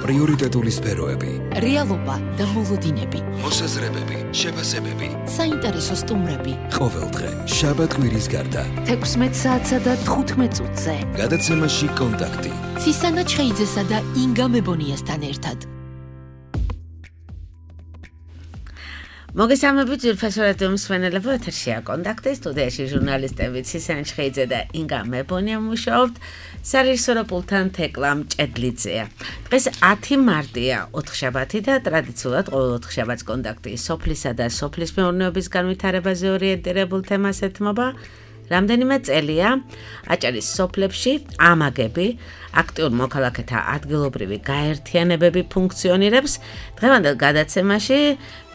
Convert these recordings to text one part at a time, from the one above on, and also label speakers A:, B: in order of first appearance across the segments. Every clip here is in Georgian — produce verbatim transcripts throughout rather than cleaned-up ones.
A: პრიორიტეტული სფეროები,
B: რეალობა და მოლოდინები,
A: მოსაზრებები, შეფასებები,
B: საინტერესო სტუმრები.
A: ყოველდღე შაბათ-კვირის გარდა
B: თექვსმეტ საათსა და თხუთმეტ წუთზე
A: გადაცემაში კონტაქტი
B: ცისანა ჩხეიძესა და ინგა მებონიასთან ერთად.
C: მოგესალმებით ძვირფასო რადიო მსმენელებო, ეთერშია კონტაქტი, სტუდიაში ჟურნალისტები ცისანა ჩხეიძე და ინგა მებონია მუშაობთ, სარეჟისორო პულტთან თეკლა მჭედლიძეა. დღეს ათი მარტია, ოთხშაბათი და ტრადიციულად ყოველ ოთხშაბათს კონტაქტი სოფლისა და სოფლის მეურნეობის განვითარებაზე ორიენტირებულ თემას ეთმობა. რამდენიმე წელია აჭარის სოფლებში ამაგები, აქტიურ მოქალაქეთა ადგილობრივი გაერთიანებები ფუნქციონირებს. დღევანდელ გადაცემაში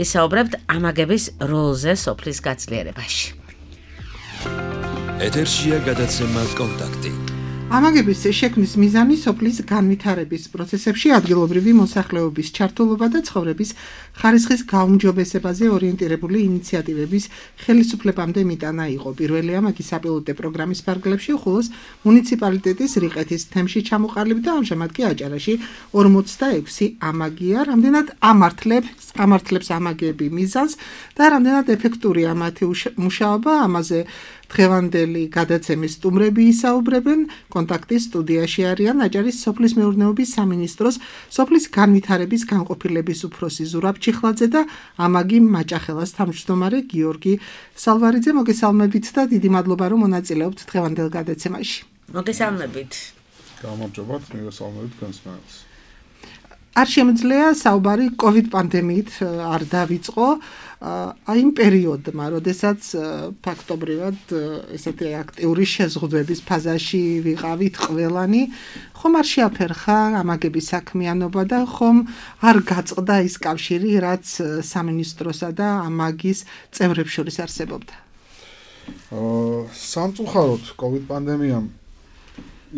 C: ვისაუბრებთ ამაგების როლზე სოფლის გაძლიერებაში.
A: ეთერშია გადაცემა კონტაქტი.
D: ამაგების შექმნის მიზანი სოფლის განვითარების პროცესებში ადგილობრივი მოსახლეობის ჩართულობა და ცხოვრების ხარისხის გაუმჯობესებაზე ორიენტირებული ინიციატივების ხელისუფლებამდე მიტანა იყო. პირველი ამაგი საპილოტო პროგრამის ფარგლებში უხულოს მუნიციპალიტეტის რიყეთის თემში ჩამოყალიბდა, ამჟამად კი აჭარაში ორმოცდაექვსი ამაგია. რამდენად ამართლებს ამართლებს ამაგები მიზანს და რამდენად ეფექტურია მათი მუშაობა, ამაზე დღევანდელი გადაცემის სტუმრები ისაუბრებენ. კონტაქტის სტუდიაში არიან აჭარის სოფლის მეურნეობის სამინისტროს სოფლის განვითარების განყოფილების უფროსი ზურაბ ჩიხლაძე და ამაგი მაჭახელას თავმჯდომარე გიორგი სალვარიძე. მოგესალმებით და დიდი მადლობა რომ მონაწილეობთ დღევანდელ გადაცემაში.
C: მოგესალმებით.
E: გამარჯობათ, მოგესალმებით განსმენელს.
D: არ შემიძლია საუბარი კოვიდ პანდემიით არ დავიწყო. აი იმ პერიოდმა, როდესაც ფაქტობრივად ესეთი აქტიური შეზღუდვების ფაზაში ვიყავით ყველანი, ხომ არ შეაფერხა ამაგების საქმიანობა და ხომ არ გაწყდა ის კავშირი, რაც სამინისტროსა და ამაგის წევრებს შორის არსებობდა.
E: სამწუხაროდ კოვიდ პანდემიამ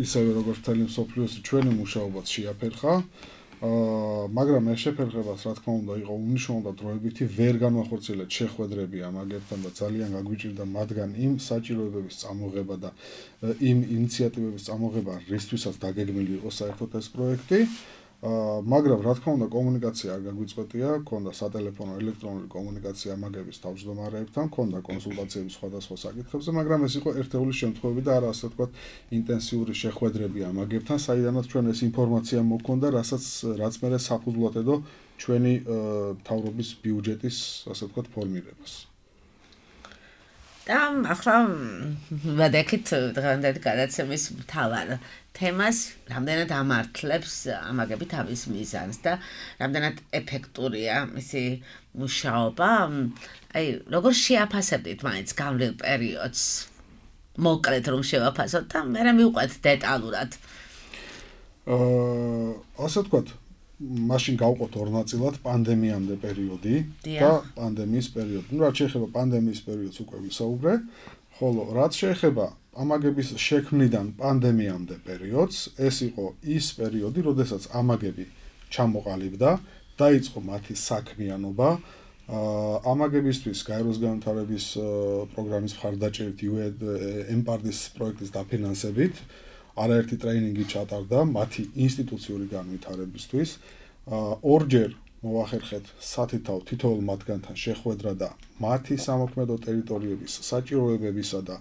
E: ისევე როგორც მთელი მსოფლიოს ჩვენი მუშაობაც შეაფერხა. მაგრამ ეს შეფერხებას რა თქმა უნდა იყო უნიშნულო და დროებითი ვერ განვახორციელეთ შეხვედრები ამაგებთან და ძალიან გაგვიჭირდა მათგან იმ საჭიროებების წამოღება და იმ ინიციატივების წამოღება, რისთვისაც დაგეგმილი იყო საერთოდ ეს პროექტი. მაგრამ რა თქმა უნდა კომუნიკაცია არ გაგვიწყვეტია, ქონდა სატელეფონო ელექტრონული კომუნიკაცია ამაგების თავმჯდომარეებთან, ქონდა კონსულტაციები სხვადასხვა საკითხებზე, მაგრამ ეს იყო ერთეული შემთხვევები და არა ასე ვთქვათ ინტენსიური შეხვედრები ამაგებთან, საიდანაც ჩვენ ეს ინფორმაცია მოქონდა, რასაც რაც მერე საფუძვლად ედო ჩვენი მთავრობის ბიუჯეტის ასე ვთქვათ ფორმირებას.
C: და ახლა ვადექით დღევანდელი გადაცემის მთავარ თემას, რამდენად ამართლებს ამაგები თავის მიზანს და რამდენად ეფექტურია მისი მუშაობა. აი, როგორ შეაფასებდით მაინც გამრიელ პერიოდს? მოკლედ რომ შევაფასოთ და მე მივყვეთ დეტალურად.
E: აა, ასე ვთქვათ, მაშინ გავყოთ ორ ნაწილად პანდემიამდე პერიოდი და პანდემიის პერიოდი. ნუ რაც შეეხება პანდემიის პერიოდს უკვე ვისაუბრე, ხოლო რაც შეეხება ამაგების შექმნიდან პანდემიამდე პერიოდს, ეს იყო ის პერიოდი, როდესაც ამაგები ჩამოყალიბდა, დაიწყო მათი საქმიანობა. ამაგებისთვის გაეროს განვითარების პროგრამის მხარდაჭერით ემპარდის პროექტის დაფინანსებით არაერთი ტრეინინგი ჩატარდა მათი ინსტიტუციური განვითარებისთვის. ორჯერ მოვახერხეთ სათითაო თითოეულ მათგანთან შეხვედრა და მათი სამოქმედო ტერიტორიების საჭიროებებისა და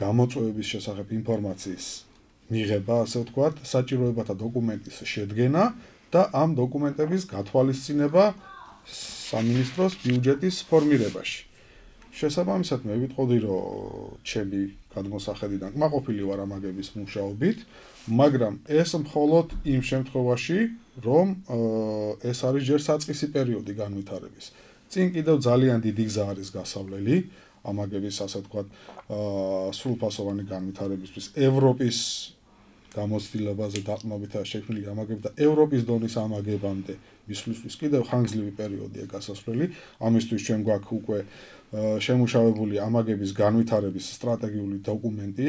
E: გამოწვევების შესახებ ინფორმაციის მიღება, ასე ვთქვათ, საჭიროებათა დოკუმენტის შედგენა და ამ დოკუმენტების გათვალისწინება სამინისტროს ბიუჯეტის ფორმირებაში. შესაბამისად მე ვიტყოდი, რომ ჩემი გადმოსახედიდან კმაყოფილი ვარ ამაგების მუშაობით, მაგრამ ეს მხოლოდ იმ შემთხვევაში, რომ ეს არის ჯერ საწყისი პერიოდი განვითარების. წინ კიდევ ძალიან დიდი გზა არის გასავლელი ამაგების, ასე ვთქვათ, სრულფასოვანი განვითარებისთვის. ევროპის გამოცდილებაზე დაყრდნობითაა შექმნილი ამაგები და ევროპის დონის ამაგებამდე მისვლისთვის კიდევ ხანგრძლივი პერიოდია გასასვლელი. ამისთვის ჩვენ გვაქვს უკვე შემუშავებული ამაგების განვითარების სტრატეგიული დოკუმენტი,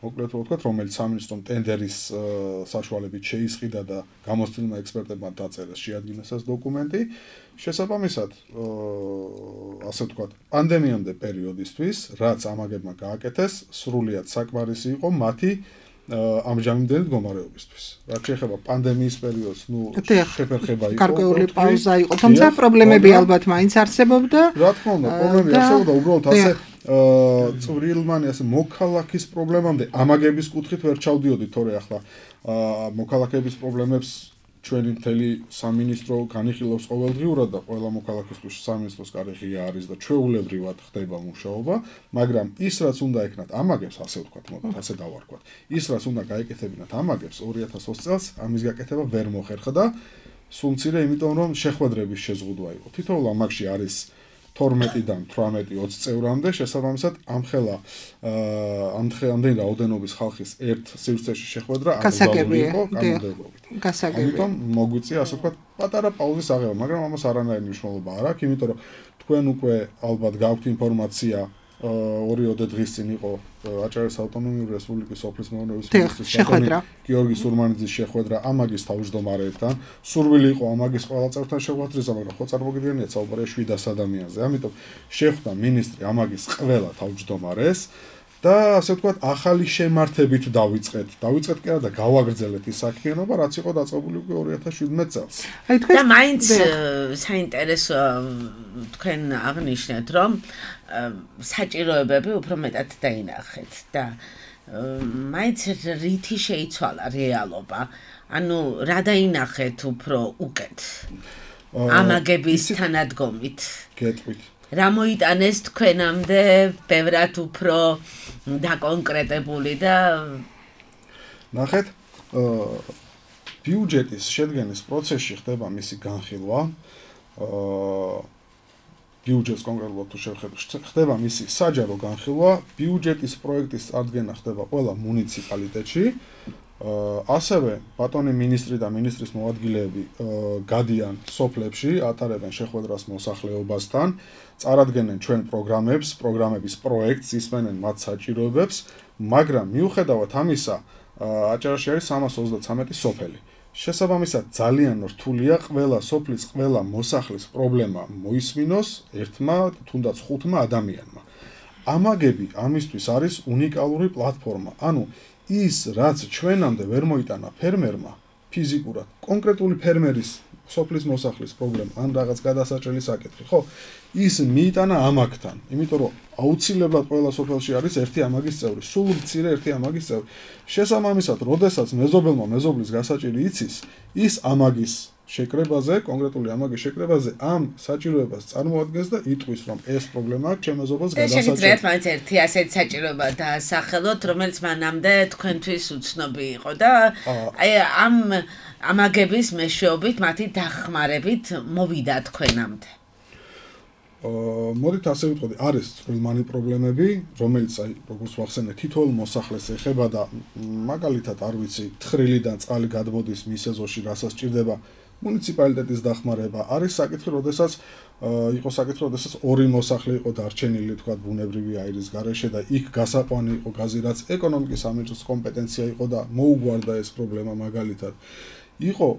E: მოკლედ ვთქვათ, რომელიც სამინისტრომ ტენდერის საშუალებით შეისყიდა და გამოცდილმა ექსპერტებმა დაწერეს, შეადგინეს ეს დოკუმენტი. შესაბამისად, ასე ვთქვათ, პანდემიამდე პერიოდისთვის, რაც ამაგებმა გააკეთეს, სრულიად საკმარისი იყო მათი ამჟამინდელი მდგომარეობისთვის. რაც შეეხება პანდემიის პერიოდს, ნუ შეფერხება იყო.
D: გარკვეული პაუზა იყო, თუმცა პრობლემები ალბათ მაინც არსებობდა.
E: რა თქმა უნდა, პრობლემები არსებობდა, უბრალოდ ასე წვრილმანი ასე მოქალაქის პრობლემამდე ამაგების კუთხით ვერ ჩავდიოდი, თორე ახლა მოქალაქეების პრობლემებს ჩვენი მთელი სამინისტრო განიხილავს ყოველდღიურად და ყველა მოქალაქისთვის სამინისტროს კარი ღია არის და ჩვეულებრივად ხდება მუშაობა, მაგრამ ის რაც უნდა ეკნათ ამაგებს, ასე ვთქვათ, მოდით ასე დავარქვათ. ის რაც უნდა გაეკეთებინათ ამაგებს ორი ათას ოცი წელს ამის გაკეთება ვერ მოხერხდა, სულ მცირე, იმიტომ რომ შეხვედრების შეზღუდვა იყო. თითოეულ ამაგში არის თორმეტიდან თვრამეტი ოცი წევრამდე, შესაბამისად ამხელა ამდენი რაოდენობის ხალხის ერთ სივრცეში შეხვედრა აკრძალული იყო კანონმდებლობით. ამიტომ მოგვიწია ასე ვთქვათ პატარა პაუზის აღება, მაგრამ ამას არანაირი მნიშვნელობა არ აქვს, იმიტომ რომ თქვენ უკვე ალბათ გაქვთ ინფორმაცია ორიოდე დღის წინ იყო აჭარის ავტონომიური რესპუბლიკის სოფლის მეურნეობის მინისტრის
D: შეხვედრა
E: გიორგი სურმანიძის შეხვედრა ამაგის თავმჯდომარეებთან. სურვილი იყო ამაგის ყველა წევრთან შეხვედრისა, მაგრამ ხო წარმოგიდგენიათ საუბარია შვიდას ადამიანზე. ამიტომ შეხვდა მინისტრი ამაგის ყველა თავმჯდომარეს და ასე ვთქვათ ახალი შემართებით დავიწყეთ. დავიწყეთ კი არა და გავაგრძელეთ ის საქმიანობა, რაც იყო დაწყებული უკვე ორი ათას შვიდმეტ წელს.
C: და მაინც საინტერესო თქვენ აღნიშნეთ, რომ საჭიროებები უფრო მეტად დაინახეთ და მაინც რითი შეიცვალა რეალობა, ანუ რა დაინახეთ უფრო უკეთ ამაგების თანადგომით.
E: გეტყვით.
C: რა მოიტანეს თქვენამდე ბევრად უფრო დაკონკრეტებული და
E: ნახეთ, ბიუჯეტის შედგენის პროცესში ხდება მისი განხილვა. ბიუჯეტს კონკრეტულად თუ შევხედოთ, ხდება მისი საჯარო განხილვა, ბიუჯეტის პროექტის წარდგენა ხდება ყველა მუნიციპალიტეტში. ასევე ბატონი მინისტრი და მინისტრის მოადგილეები გადიან სოფლებში, ატარებენ შეხვედრას მოსახლეობასთან, წარადგენენ ჩვენ პროგრამებს, პროგრამების პროექტს, ისმენენ მათ საჭიროებებს, მაგრამ მიუხედავად ამისა, აჭარაში არის სამას ოცდათვრამეტი სოფელი. შესაბამისად ძალიან რთულია ყველა სოფლის, ყველა მოსახლის პრობლემა მოისმინოს ერთმა, თუნდაც ხუთმა ადამიანმა. ამაგები ამისთვის არის უნიკალური პლატფორმა. ანუ ის რაც ჩვენამდე ვერ მოიტანა ფერმერმა ფიზიკურად, კონკრეტული ფერმერის სოფლის მოსახლის პრობლემა ან რაღაც გადასაჭრელი საკითხი, ხო? ის მიიტანა ამაგთან, იმიტომ რომ აუცილებლად ყველა სოფელში არის ერთი ამაგის წევრი, სულ მცირე ერთი ამაგის წევრი. შესაბამისად, როდესაც მეზობელმა მეზობლის გასაჭირი იცის, ის ამაგის შეკრებაზე, კონკრეტული ამაგის შეკრებაზე ამ საჭიროებას წარმოადგენს და იტყვის, რომ ეს პრობლემაა ჩემ მეზობელს გადასაჭერი.
C: შეგიძლიათ მაინც ერთი ასეთი საჭიროება დაასახელოთ, რომელიც მანამდე თქვენთვის უცნობი იყო და აი ამ ამაგების მეშვეობით, მათი დახმარებით მოვიდა თქვენამდე.
E: მოდით ასე ვიტყოდი, არის წვრილმანი პრობლემები, რომელიც აი როგორც ვახსენე, თითოეულ მოსახლეს ეხება და მაგალითად არ ვიცი, თხრილიდან წყალი გადმოდის მის ეზოში, რასაც სჭირდება მუნიციპალიტეტის დახმარება. არის საკითხი, როდესაც იყო საკითხი, როდესაც ორი მოსახლე იყო დარჩენილი, თქვა ბუნებრივი აირის გარეშე და იქ გასაყვანი იყო გაზი, რაც ეკონომიკის სამინისტროს კომპეტენცია იყო და მოუგვარდა ეს პრობლემა მაგალითად. იყო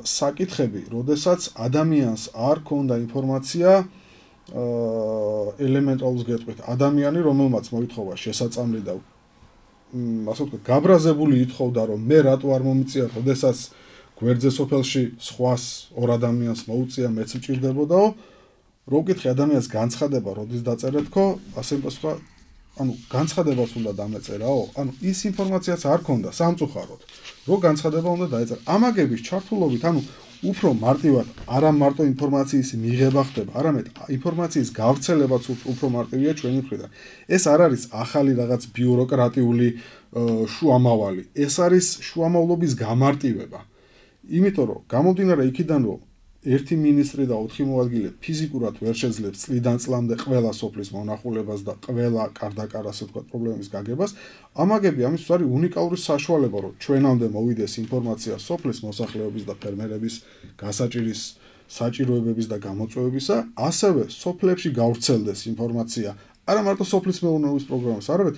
E: საკითხები, როდესაც ადამიანს არ ქონდა ინფორმაცია ელემენტალურს გეტყვით, ადამიანი, რომელმაც მოითხოვა შესაწამლი და ასე ვთქვათ, გაბრაზებული ითხოვდა, რომ მე რატო არ მომიწია, როდესაც გვერდზე სოფელში სხვას ორ ადამიანს მოუწია, მეც მჭირდებოდაო, რო ვკითხე ადამიანს განცხადება, როდის დაწერეთქო, ასე პასუხა, ანუ განცხადებას უნდა დამეწერაო, ანუ ის ინფორმაციაც არ ქონდა სამწუხაროდ, რო განცხადება უნდა დაეწერა. ამაგების ჩართულობით, ანუ უფრო მარტივად არა მარტო ინფორმაციის მიღება ხდება, არამედ ინფორმაციის გავრცელებაც უფრო მარტივია ჩვენი მხრიდან. ეს არ არის ახალი რაღაც ბიუროკრატიული შუამავალი, ეს არის შუამავლობის გამარტივება. იმიტომ რომ გამომდინარე იქიდან, რომ ერთი მინისტრი და ოთხი მოადგილე ფიზიკურად ვერ შეძლებს წლიდან წლამდე ყველა სოფლის მონახულებას და ყველა კარდაკარ ასე ვთქვათ პრობლემის გაგებას, ამაგები ამისთვის არის უნიკალური საშუალება, რომ ჩვენამდე მოვიდეს ინფორმაცია სოფლის მოსახლეობის და ფერმერების გასაჭირის საჭიროებების და გამოწვევებისა, ასევე სოფლებში გავრცელდეს ინფორმაცია არა მარტო სოფლის მეურნეობის პროგრამის, არამედ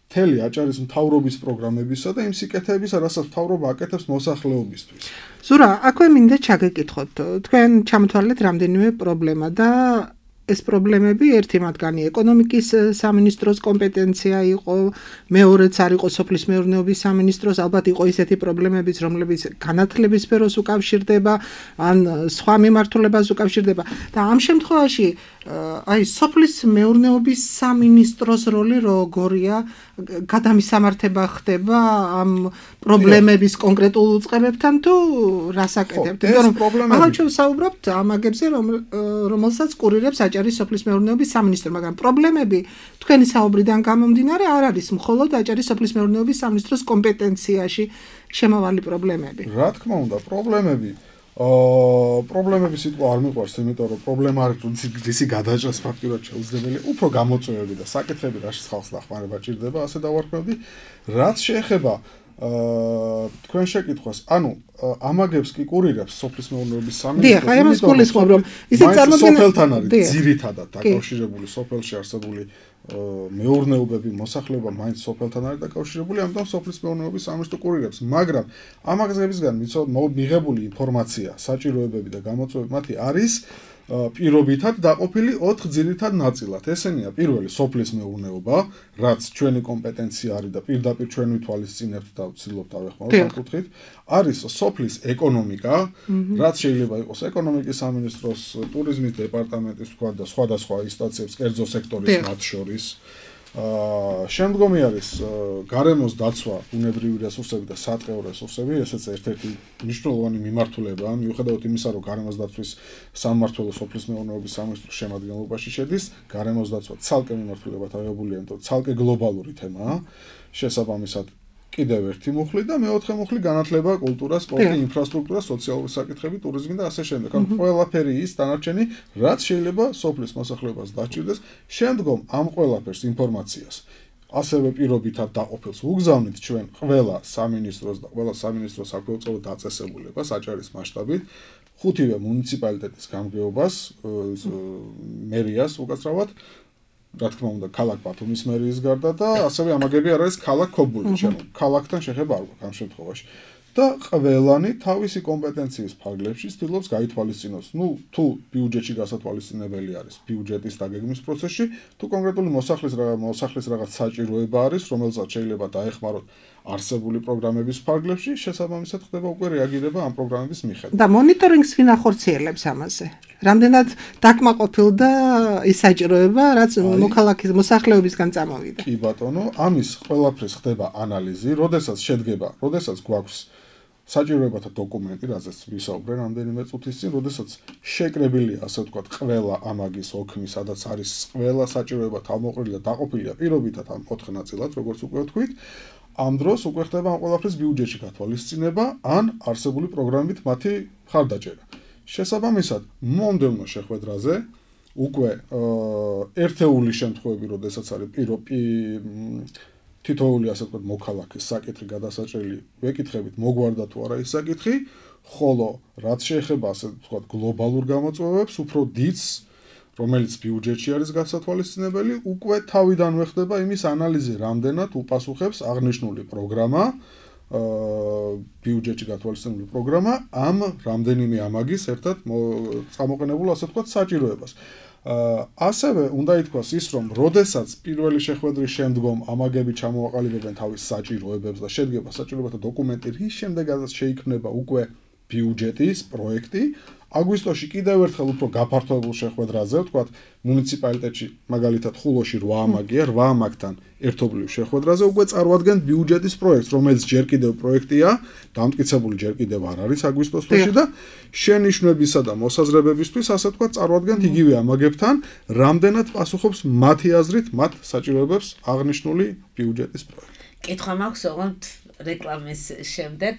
E: მთელი აჭარის მთავრობის პროგრამებისა და იმ სიკეთეებისა, რასაც მთავრობა აკეთებს მოსახლეობისთვის.
D: ზურა, აქვე მინდა ჩაგეკითხოთ. თქვენ ჩამოთვალეთ რამდენიმე პრობლემა და ეს პრობლემები ერთი მათგანი ეკონომიკის სამინისტროს კომპეტენცია იყო, მეორეც არ იყო სოფლის მეურნეობის სამინისტროს, ალბათ იყო ისეთი პრობლემებიც, რომლებიც განათლების სფეროს უკავშირდება, ან სხვა მიმართულებას უკავშირდება და ამ შემთხვევაში აი სოფლის მეურნეობის სამინისტროს როლი როგორია გადამისამართება ხდება ამ პრობლემების კონკრეტულ უწყებებთან თუ რას აკეთებთ?
E: იმიტომ რომ
D: ახლა ჩვენ საუბრობთ ამ აგებზე, რომელსაც კურირებს აჭარის სოფლის მეურნეობის სამინისტრო, მაგრამ პრობლემები თქვენი საუბრიდან გამომდინარე არ არის მხოლოდ აჭარის სოფლის მეურნეობის სამინისტროს კომპეტენციაში შემავალი პრობლემები.
E: რა თქმა უნდა, პრობლემები აა პრობლემები სიტყვა არ მიყვარს, იმიტომ რომ პრობლემა არის, რომ ისი გადაჭრას ფაქტურად შეუძლებელია, უფრო გამოწვევები და საკითხები რაშიც ხალხს დახმარება ჭირდება, ასე დავარქმევდი. რაც შეეხება აა თქვენ შეკითხვას, ანუ ამაგებს კი კურირებს სოფლის მეურნეობის სამინისტრო.
D: დიახ, აი ამას გულისხმობ, რომ ისიც წარმოგვიდგენთ
E: სოფელთან არის ძირითადად დაკავშირებული სოფელში არსებული მეურნეობები, მოსახლეობა მაინც სოფელთან არის დაკავშირებული, ამიტომ სოფლის მეურნეობის სამინისტრო კურირებს, მაგრამ ამაგებისგან მიღებული ინფორმაცია, საჭიროებები და გამოწვევები მათი არის პირობითად დაყოფილი ოთხ ძირითად ნაწილად. ესენია პირველი სოფლის მეურნეობა, რაც ჩვენი კომპეტენცია არის და პირდაპირ ჩვენ ვითვალისწინებთ და ვცდილობთ ავეხმაროთ ამ კუთხით. არის სოფლის ეკონომიკა, რაც შეიძლება იყოს ეკონომიკის სამინისტროს, ტურიზმის დეპარტამენტის თქვა და სხვადასხვა ინსტანციების, კერძო სექტორის მათ შორის. აა შემდგომი არის გარემოს დაცვა, ბუნებრივი რესურსები და სატყეო რესურსები, ესეც ერთ-ერთი მნიშვნელოვანი მიმართულებაა, მიუხედავად იმისა, რომ გარემოს დაცვის სამმართველო სოფლის მეურნეობის სამინისტროს შემადგენლობაში შედის, გარემოს დაცვა ცალკე მიმართულებად აღებულია, იმიტომ რომ ცალკე გლობალური თემაა. შესაბამისად კიდევ ერთი მუხლი და მეოთხე მუხლი განათლება, კულტურა, სპორტი, ინფრასტრუქტურა, სოციალური საკითხები, ტურიზმი და ასე შემდეგ. ანუ ყველაფერი ის დანარჩენი, რაც შეიძლება სოფლის მოსახლეობას დაჭირდეს, შემდგომ ამ ყველაფერს ინფორმაციას ასევე პირობითად დაყოფილს უგზავნით ჩვენ ყველა სამინისტროს და ყველა სამინისტროს საქვეუწყებო დაწესებულებას აჭარის მასშტაბით, ხუთივე მუნიციპალიტეტის გამგეობას, მერიას უკაცრავად, რა თქმა უნდა, ქალაქ ბათუმის მერიის გარდა და ასევე ამაგები არ არის ქალაქ ქობულეთში, ანუ ქალაქთან შეხება არ გვაქვს ამ შემთხვევაში. და ყველანი თავისი კომპეტენციის ფარგლებში ცდილობს გაითვალისწინოს. ნუ თუ ბიუჯეტში გასათვალისწინებელი არის ბიუჯეტის დაგეგმვის პროცესში, თუ კონკრეტული მოსახლის რაღაც მოსახლის რაღაც საჭიროება არის, რომელსაც შეიძლება დაეხმაროთ არსებული პროგრამების ფარგლებში, შესაბამისად ხდება უკვე რეაგირება ამ პროგრამების მიხედვით.
D: და მონიტორინგს ვინ ახორციელებს ამაზე? რამდენად დაკმაყოფილდა ის საჭიროება, რაც მოქალაქის მოსახლეობისგან წამოვიდა?
E: კი ბატონო, ამის ყველაფრის ხდება ანალიზი, როდესაც შედგება, როდესაც გვაქვს საჭიროებათა დოკუმენტი, რაზეც ვისაუბრე რამდენიმე წუთის წინ, როდესაც შეკრებილია, ასე ვთქვათ, ყველა ამაგის ოქმი, სადაც არის ყველა საჭიროება თავმოყრილი და დაყოფილია პირობითად ამ ოთხ ნაწილად, როგორც უკვე ვთქვით, ამ დროს უკვე ხდება ამ ყველაფრის ბიუჯეტში გათვალისწინება, ან არსებული პროგრამით მათი მხარდაჭერა. შესაბამისად, მომდევნო შეხვედრაზე უკვე ერთეული შემთხვევები, როდესაც არის პირობი თითოეული ასე ვთქვათ მოქალაქის საკითხი გადასაჭრელი, ვეკითხებით მოგვარდა თუ არა ის საკითხი, ხოლო რაც შეეხება ასე ვთქვათ გლობალურ გამოწვევებს, უფრო დიდს, რომელიც ბიუჯეტში არის გასათვალისწინებელი, უკვე თავიდანვე ხდება იმის ანალიზი, რამდენად უპასუხებს აღნიშნული პროგრამა, ბიუჯეტში გათვალისწინებული პროგრამა ამ რამდენიმე ამაგის ერთად წამოყენებულ ასე ვთქვათ საჭიროებას. ასევე უნდა ითქვას ის, რომ როდესაც პირველი შეხვედრის შემდგომ ამაგები ჩამოაყალიბებენ თავის საჭიროებებს და შედგება საჭიროებათა დოკუმენტი, რის შემდეგაც შეიქმნება უკვე ბიუჯეტის პროექტი, აგვისტოში კიდევ ერთხელ უფრო გაფართოებულ შეხვედრაზე, ვთქვათ, მუნიციპალიტეტში, მაგალითად ხულოში რვა ამაგია, რვა ამაგთან ერთობლივ შეხვედრაზე უკვე წარმოადგენთ ბიუჯეტის პროექტს, რომელიც ჯერ კიდევ პროექტია, დამტკიცებული ჯერ კიდევ არ არის აგვისტოს თვეში და შენიშვნებისა და მოსაზრებებისთვის, ასე ვთქვათ, წარმოადგენთ იგივე ამაგებთან, რამდენად პასუხობს მათი აზრით მათ საჭიროებებს აღნიშნული ბიუჯეტის პროექტი.
C: კითხვა მაქვს, ოღონდ რეკლამის შემდეგ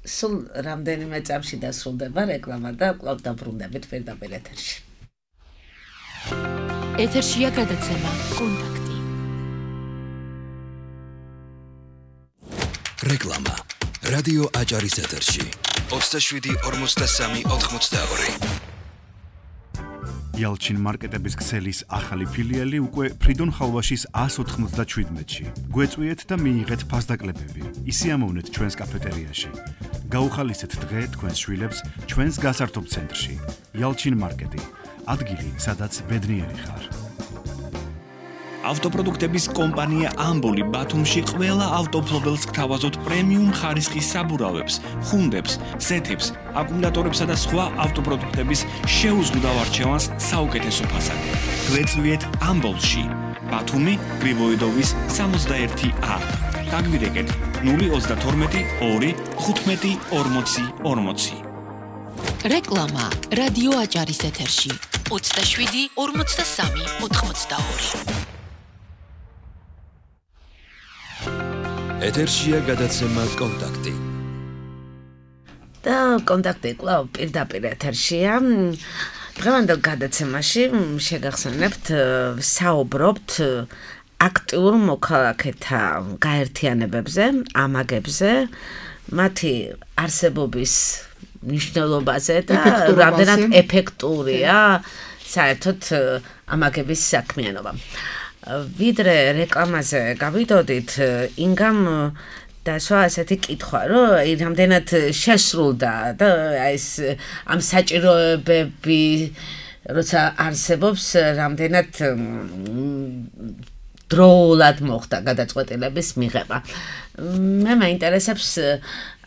C: სულ რამდენიმე წამში დასრულდება რეკლამა და კვლავ დაბრუნდებით პირდაპირ ეთერში.
B: ეთერშია გადაცემა კონტაქტი.
A: რეკლამა. რადიო აჭარის ეთერში. ოცდაშვიდი ორმოცდასამი ოთხმოცდაორი.
F: Yalchin მარკეტების ქსელის ახალი ფილიალი უკვე ფრიდონ ხალვაშის ას ოთხმოცდაშვიდმეტში. გვეწვიეთ და მიიღეთ ფასდაკლებები. ისიამოვნეთ ჩვენს კაფეტერიაში. გაუხალისეთ დღე თქვენს შვილებს ჩვენს გასართობ ცენტრში. Yalchin მარკეტი. ადგილი, სადაც ბედნიერი ხარ.
G: ავტოპროდუქტების კომპანია ამბოლი ბათუმში ყველა ავტოფლობელს გთავაზობთ პრემიუმ ხარისხის საბურავებს, ხუნდებს, ზეთებს, აკუმულატორებსა და სხვა ავტოპროდუქტების შეუზღუდავ არჩევანს საუკეთესო ფასად. გვეწვიეთ ამბოლში, ბათუმი, გრიბოედოვის სამოცდაერთი ა. დაგვირეკეთ ნული ოცდათორმეტი ორი ხუთმეტი ორმოცი ორმოცი.
B: რეკლამა რადიო აჭარის ეთერში ოცდაშვიდი ორმოცდასამი ოთხმოცდაორი.
A: ეთერშია გადაცემა კონტაქტი.
C: და კონტაქტი კვლავ პირდაპირ ეთერშია. დღევანდელ გადაცემაში შეგახსენებთ, საუბრობთ აქტიურ მოქალაქეთა გაერთიანებებზე, ამაგებზე, მათი არსებობის მნიშვნელობაზე და რამდენად ეფექტურია საერთოდ ამაგების საქმიანობა. ვიდრე რეკლამაზე გავიდოდით, ინგამ დასვა ასეთი კითხვა, რომ რამდენად შესრულდა და ეს ამ საჭიროებები როცა არსებობს, რამდენად დროულად მოხდა გადაწყვეტილების მიღება. მე მაინტერესებს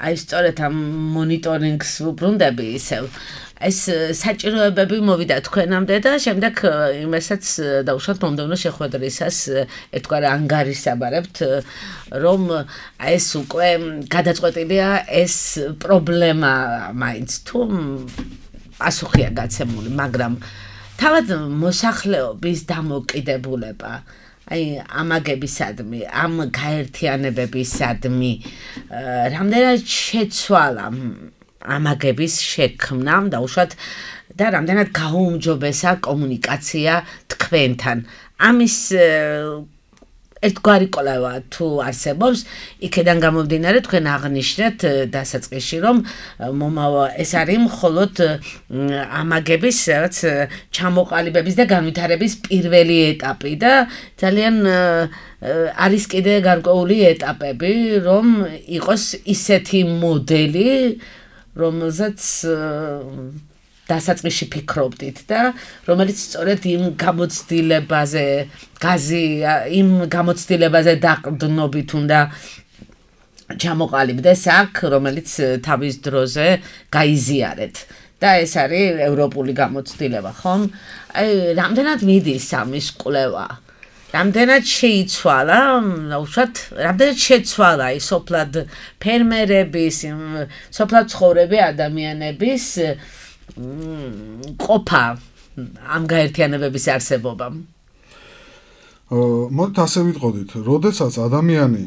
C: აი სწორედ ამ მონიტორინგს ვუბრუნდები ისევ. ეს საჭიროებები მოვიდა თქვენამდე და შემდეგ იმასაც დავუშვათ მომდევნო შეხვედრისას ერთგვარ ანგარიშსაბარებთ, რომ ეს უკვე გადაწყვეტილია ეს პრობლემა მაინც თუ პასუხია გაცემული, მაგრამ თავად მოსახლეობის დამოკიდებულება აი ამაგებისადმი, ამ გაერთიანებებისადმი რამდენად შეცვალა ამაგების შექმნამ დაუშვათ და რამდენად გაუმჯობესა კომუნიკაცია თქვენთან. ამის ერთგვარი კვლევა თუ არსებობს, იქედან გამომდინარე თქვენ აღნიშნეთ დასაწყისში, რომ ეს არის მხოლოდ ამაგების რაც ჩამოყალიბების და განვითარების პირველი ეტაპი და ძალიან არის კიდე გარკვეული ეტაპები, რომ იყოს ისეთი მოდელი, რომელზეც დასაწყისში ფიქრობდით და რომელიც სწორედ იმ გამოცდილებაზე, გაზი, იმ გამოცდილებაზე დაყრდნობით უნდა ჩამოყალიბდეს აქ, რომელიც თავის დროზე გაიზიარეთ. და ეს არის ევროპული გამოცდილება, ხომ? აი, რამდენად მიდის ამის კვლევა? რამდენად შეიცვალა, უშუალოდ, რამდენად შეცვალა ის სოფლად ფერმერების, სოფლად ცხოვრები ადამიანების ყოფა ამ გაერთიანებების არსებობამ.
E: მოდით ასე ვიტყოდით, როდესაც ადამიანი,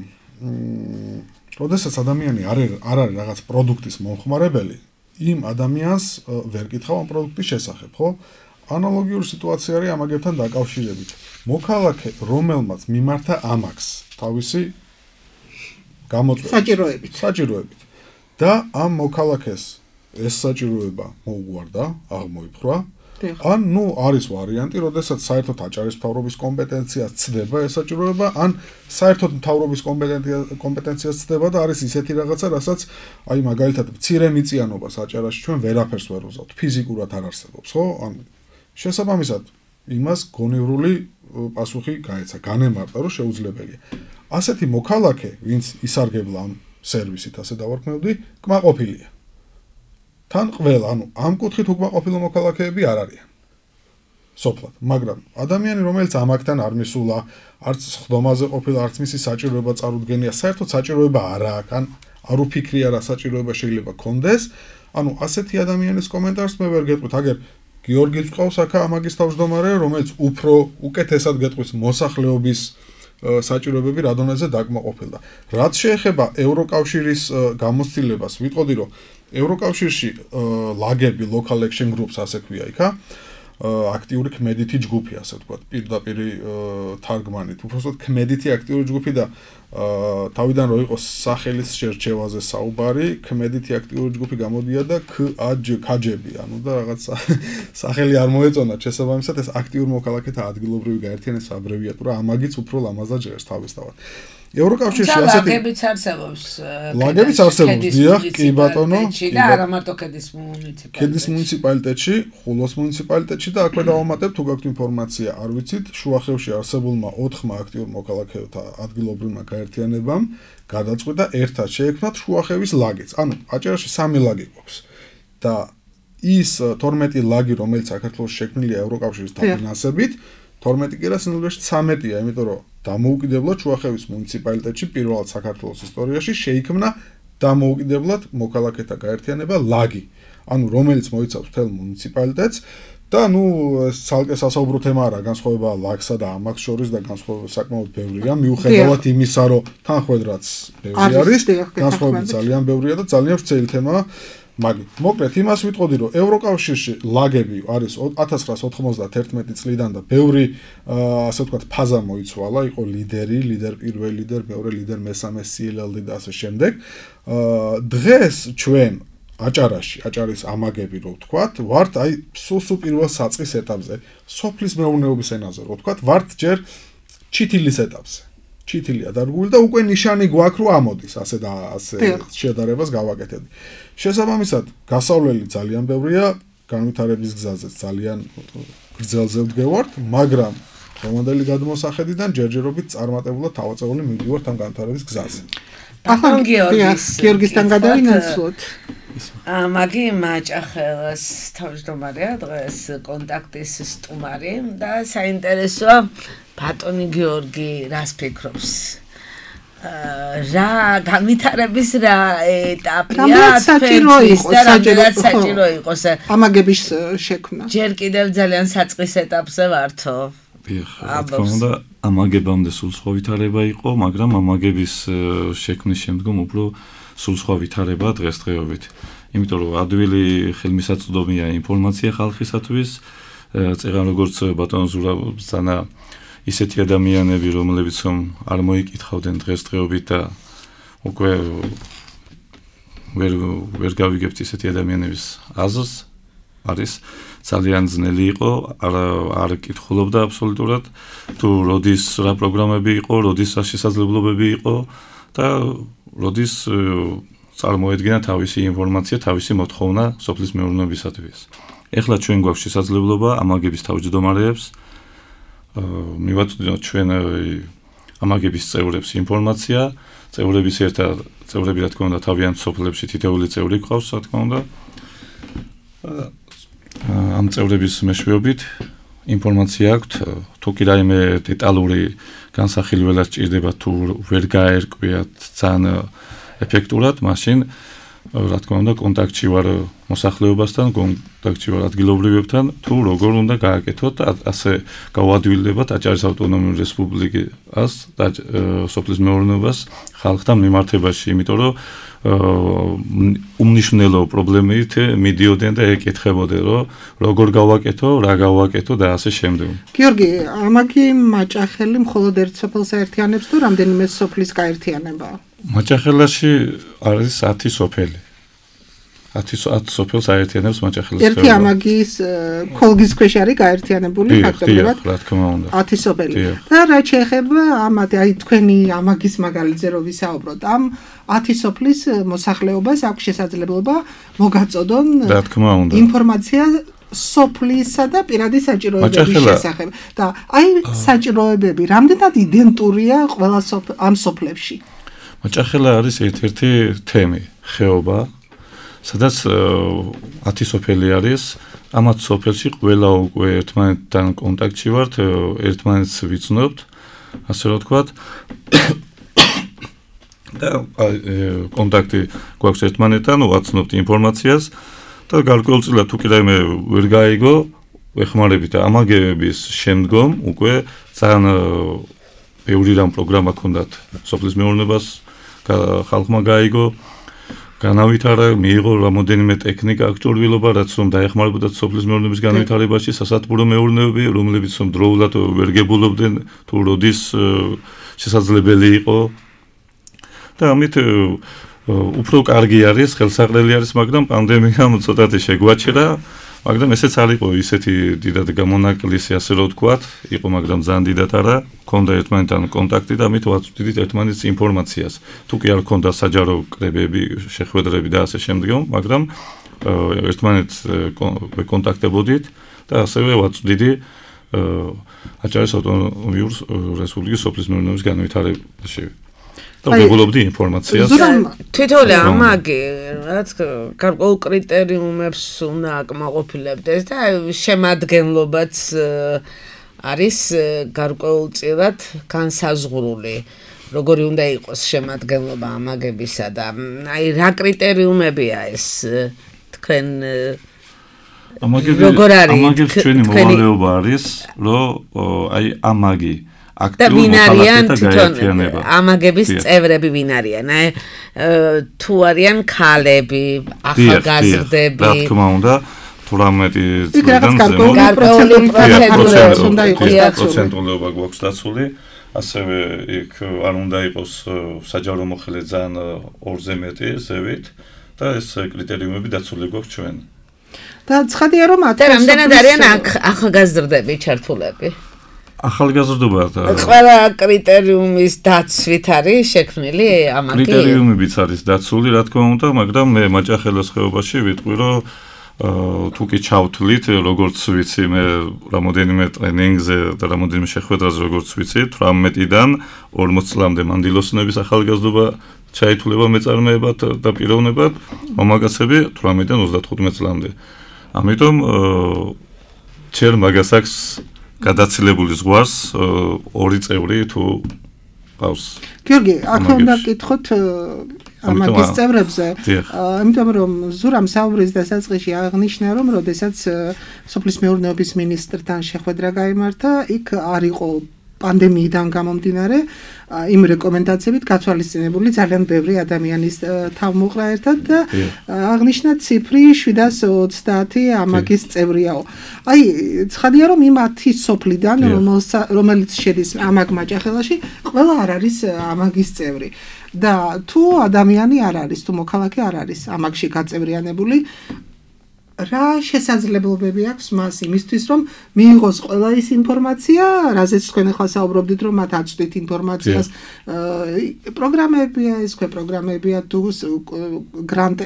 E: როდესაც ადამიანი არ არ არის რაღაც პროდუქტის მომხმარებელი, იმ ადამიანს ვერ კითხავ ამ პროდუქტის შესახებ, ხო? ანალოგიური სიტუაცია არის ამაგებთან დაკავშირებით. მოქალაქე, რომელმაც მიმართა ამაგს, თავისი გამოწვევით,
D: საჭიროებით.
E: საჭიროებით. და ამ მოქალაქეს ეს საჭიროება მოუგვარდა, აღმოიფხვრა. ან ნუ არის ვარიანტი, როდესაც საერთოდ აჭარის მთავრობის კომპეტენციას ცდება ეს საჭიროება, ან საერთოდ მთავრობის კომპეტენციას ცდება და არის ისეთი რაღაცა, რასაც აი მაგალითად მცირე მიწიანობას აჭარაში ჩვენ ვერაფერს ვერ ვუზავთ, ფიზიკურად არ არსებობს, ხო? ან შესაბამისად იმას გონევრული პასუხი გაეცა, განემარტა, რომ შეუძლებელია. ასეთი მოქალაქე, ვინც ისარგებლა ამ სერვისით, ასე დავარქმევდი, კმაყოფილია. თან ყველა, ანუ ამ კუთხით უკმაყოფილო მოქალაქეები არ არიან. სოფლად, მაგრამ ადამიანი, რომელიც ამაგთან არ მისულა, არც ხდომაზე ყოფილა, არც მისი საჭიროება წარუდგენია, საერთოდ საჭიროება არ აქვს, ან არ უფიქრია რა საჭიროება შეიძლება კონდეს, ანუ ასეთი ადამიანის კომენტარს მე ვერ გეტყვით, აგერ გიორგიც ყავს აქ ამაგის თავმჯდომარე, რომელიც უფრო უკეთესად გეტყვის მოსახლეობის საჭიროებები რა დონეზე დაკმაყოფილდა. რაც შეეხება ევროკავშირის გამოცდილებას, ვიტყოდი, რომ ევროკავშირში ლაგები, local action groups ასე ქვია იქა, აქტიური ქმედითი ჯგუფი, ასე ვთქვათ, პირდაპირ თარგმანით. უბრალოდ ქმედითი აქტიური ჯგუფი და თავიდან რო იყოს სახელის შერჩევაზე საუბარი, ქმედითი აქტიური ჯგუფი გამოდია და ქაჯები, ანუ და რაღაც სახელი არ მოეწონა, შესაბამისად ეს აქტიურ მოქალაქეთა ადგილობრივი გაერთიანების აბრევიატურა, ამაგიც უფრო ლამაზად ჟღერს თავისთავად. ევროკავშირში ასეთი
C: ლაგებიც არსებობს.
E: ლაგებიც არსებობს, დიახ, კი ბატონო.
C: და არა მარტო ქედის მუნიციპალიტეტში.
E: ქედის მუნიციპალიტეტში, ხულოს მუნიციპალიტეტში და აქვე დავამატებ თუ გაქვთ ინფორმაცია, არ ვიცით, შუახევში არსებულმა ოთხმა აქტიურ მოქალაქეთა ადგილობრივმა გაერთიანებამ გადაწყვიტა ერთად შეექმნათ შუახევის ლაგიც. ანუ აჭარაში სამი ლაგი გვაქვს. და ის თორმეტი ლაგი, რომელიც საქართველოში შექმნილია ევროკავშირის დაფინანსებით, თორმეტი კი რა სინამდვილეში ცამეტია, იმიტომ რომ დამოუკიდებლად შუახევის მუნიციპალიტეტში პირველად საქართველოს ისტორიაში შეიქმნა დამოუკიდებლად მოქალაქეთა გაერთიანება ლაგი, ანუ რომელიც მოიცავს მთელ მუნიციპალიტეტს და ნუ ცალკე სასაუბრო თემა არა, განსხვავება ლაგსა და ამას შორის და განსხვავება საკმაოდ ბევრია, მიუხედავად იმისა, რომ თანხმედრაც ბევრი არის, განსხვავება ძალიან ბევრია და ძალიან ვრცელი თემაა. მაგრამ მოკლედ იმას ვიტყოდი, რომ ევროკავშირში ლაგები არის ათას ცხრაას ოთხმოცდაათერთმეტი წლიდან და ბევრი ასე ვთქვათ ფაზა მოიცვალა, იყო ლიდერი, ლიდერ პირველი ლიდერ, მეორე ლიდერ, მესამე სი ელ ელ დი და ასე შემდეგ. დღეს ჩვენ აჭარაში, აჭარის ამაგები რო ვთქვათ, ვართ აი სულ პირველ საწყის ეტაპზე, სოფლის მეურნეობის ენაზე რო ვთქვათ, ვართ ჯერ ჩითილის ეტაპზე. ჩითილია დარგული და უკვე ნიშანი გვაქვს რომ ამოდის, ასე და ასე შედარებას გავაკეთებდი. შესაბამისად, გასავლელი ძალიან ბევრია, განვითარების გზაზე ძალიან გრძელზე ვდგევართ, მაგრამ ხომანდელი გადმოსახედიდან ჯერჯერობით წარმატებულად თავაწეული მივდივართ ამ განვითარების გზაზე.
D: ახლა გიორგისთან გადავინაცვლოთ.
C: მაგი მაჭახელას თავმჯდომარეა დღეს კონტაქტის სტუმარი და საინტერესოა ბატონი გიორგი რას ფიქრობს? რა განვითარების რა ეტაპია თქვენთვის და რამდენად საჭირო იყოს
D: ამაგების შექმნა?
C: ჯერ კიდევ ძალიან საწყის ეტაპზე ვართო.
H: დიახ, რა თქმა უნდა, ამაგებამდე სულ სხვა ვითარება იყო, მაგრამ ამაგების შექმნის შემდგომ უფრო სულ სხვა ვითარება დღესდღეობით. იმიტომ რომ ადვილი ხელმისაწვდომია ინფორმაცია ხალხისათვის, წეგან როგორც ბატონ ზურაბსანა ისეთი ადამიანები, რომლებიც არ მოიკითხავდნენ დღესდღეობით და უკვე ვერ ვერ გავიგებთ ისეთი ადამიანების აზრს, არის ძალიან ძნელი იყო, არ არ კითხულობდა აბსოლუტურად, თუ როდის რა პროგრამები იყო, როდის რა შესაძლებლობები იყო და როდის წარმოედგინა თავისი ინფორმაცია, თავისი მოთხოვნა სოფლის მეურნეობისათვის. ეხლა ჩვენ გვაქვს შესაძლებლობა ამაგების თავმჯდომარეებს მივაწვდინოთ ჩვენ ამაგების წევრებს ინფორმაცია, წევრების ერთად წევრები რა თქმა უნდა თავიანთ სოფლებში თითოეული წევრი გვყავს, რა თქმა უნდა. ამ წევრების მეშვეობით ინფორმაცია აქვთ, თუ კი რაიმე დეტალური განსახილველად სჭირდება თუ ვერ გაერკვიათ ძალიან ეფექტურად, მაშინ რა თქმა უნდა კონტაქტში ვარ მოსახლეობასთან, კონტაქტში ვარ ადგილობრივებთან, თუ როგორ უნდა გააკეთოთ, ასე გავადვილებათ აჭარის ავტონომიური რესპუბლიკას და სოფლის მეურნეობას ხალხთან მიმართებაში, იმიტომ რომ უმნიშვნელო პრობლემით მიდიოდნენ და ეკითხებოდნენ, რომ როგორ გავაკეთო, რა გავაკეთო და ასე შემდეგ.
D: გიორგი, ამაგი მაჭახელი მხოლოდ ერთ სოფელს აერთიანებს თუ რამდენიმე სოფლის გაერთიანებაა?
H: მაჭახელაში არის ათი სოფელი. ათი სოფელს აერთიანებს მაჭახელის.
D: ერთი ამაგის ქოლგის ქვეშ არის გაერთიანებული ფაქტობრივად.
H: რა თქმა უნდა.
D: ათი სოფელი. და რა შეეხება ამათ აი თქვენი ამაგის მაგალითზე რო ვისაუბროთ, ამ ათი სოფლის მოსახლეობას აქვს შესაძლებლობა მოგაწოდონ
H: რა თქმა უნდა
D: ინფორმაცია სოფლისა და პირადი საჭიროებების შესახებ. და აი საჭიროებები რამდენად იდენტურია ყველა ამ სოფლებში?
H: მაჭახელა არის ერთ-ერთი თემი, ხეობა, სადაც ათი სოფელი არის. ამათ სოფელში ყველა უკვე ერთმანეთთან კონტაქტში ვართ, ერთმანეთს ვიცნობთ, ასე რომ ვთქვათ. და კონტაქტი გვაქვს ერთმანეთთან, ვაცნობთ ინფორმაციას და გარკვეულწილად თუ კი რაიმე ვერ გაიგო, ვეხმარებით ამაგების შემდგომ უკვე ძალიან ბევრი რამ პროგრამა ჰქონდათ სოფლის მეურნეობას ხალხმა გაიგო, განავითარა, მიიღო რამოდენიმე ტექნიკა, აღჭურვილობა, რაც რომ დაეხმარებოდა სოფლის მეურნეობის განვითარებაში, სასათბურო მეურნეობები, რომლებიც რომ დროულად ვერ გებულობდნენ, თუ როდის შესაძლებელი იყო. და ამით უფრო კარგი არის, ხელსაყრელი არის, მაგრამ პანდემიამ ცოტათი შეგვაჩერა, მაგრამ ესეც არ იყო ისეთი დიდად გამონაკლისი, ასე რომ ვთქვათ, იყო, მაგრამ ძალიან დიდად არა, ჰქონდა ერთმანეთთან კონტაქტი და ამით ვაწვდით ერთმანეთს ინფორმაციას. თუ კი არ ჰქონდა საჯარო კრებები, შეხვედრები და ასე შემდგომ, მაგრამ ერთმანეთს კონტაქტებოდით და ასევე ვაწვდიდი აჭარის ავტონომიურ რესპუბლიკის სოფლის მეურნეობის განვითარებაში. და ვიღებდი ინფორმაციას.
C: თვითონ ამაგი რაც გარკვეულ კრიტერიუმებს უნდა აკმაყოფილებდეს და შემადგენლობაც არის გარკვეულწილად განსაზღვრული. როგორი უნდა იყოს შემადგენლობა ამაგებისა და აი რა კრიტერიუმებია ეს თქვენ
H: როგორ არის ამაგებს ჩვენი მოვალეობა არის რომ აი ამაგი
C: და ვინ არიან თვითონ ამაგების წევრები ვინ არიან? აი თუ არიან ქალები, ახალგაზრდები.
H: რა თქმა უნდა, თვრამეტი
D: წლიდან გარკვეული პროცედურები უნდა იყოს დაცული.
H: პროცენტულობა გვაქვს დაცული. ასევე იქ არ უნდა იყოს საჯარო მოხელე ძალიან ორზე მეტი ზევით და ეს კრიტერიუმები დაცული გვაქვს ჩვენ.
D: და ცხადია რომ
C: და რამდენად არიან ახალგაზრდები ჩართულები?
H: ახალგაზრდობა და
C: ყველა კრიტერიუმის დაცვით არის შექმნილი ამაგი.
H: კრიტერიუმებიც არის დაცული, რა თქმა უნდა, მაგრამ მე მაჭახელოს ხეობაში ვიტყვი, რომ თუ კი ჩავთვლით, როგორც ვიცი, მე რამოდენიმე ტრენინგზე და რამოდენიმე შეხვედრაზე როგორც ვიცი, თვრამეტიდან ორმოც წლამდე მანდილოსნების ახალგაზრდობა ჩაითვლება მეწარმეებად და პიროვნებად, მამაკაცები თვრამეტიდან ოცდათხუთმეტ წლამდე. ამიტომ ჩერ მაგას აქვს გადაცილებული ზღვარს ორი წევრი თუ ყავს.
D: გიორგი, აქ უნდა ვკითხოთ ამაგის წევრებზე, იმიტომ რომ ზურამ საუბრის დასაწყისში აღნიშნა, რომ როდესაც სოფლის მეურნეობის მინისტრთან შეხვედრა გაიმართა, იქ არ იყო პანდემიიდან გამომდინარე იმ რეკომენდაციებით გათვალისწინებული ძალიან ბევრი ადამიანის თავმოყრა ერთად და აღნიშნა ციფრი შვიდას ოცდაათი ამაგის წევრიაო. აი, ცხადია რომ იმ ათი სოფლიდან, რომელიც შედის ამაგ მაჭახელაში, ყველა არ არის ამაგის წევრი. და თუ ადამიანი არ არის, თუ მოქალაქე არ არის ამაგში გაწევრიანებული, რა შესაძლებლობები აქვს მას იმისთვის, რომ მიიღოს ყველა ის ინფორმაცია, რაზეც თქვენ ახლა საუბრობდით, რომ მათ აწვდით ინფორმაციას, პროგრამებია, ეს ქვე პროგრამებია თუ გრანტ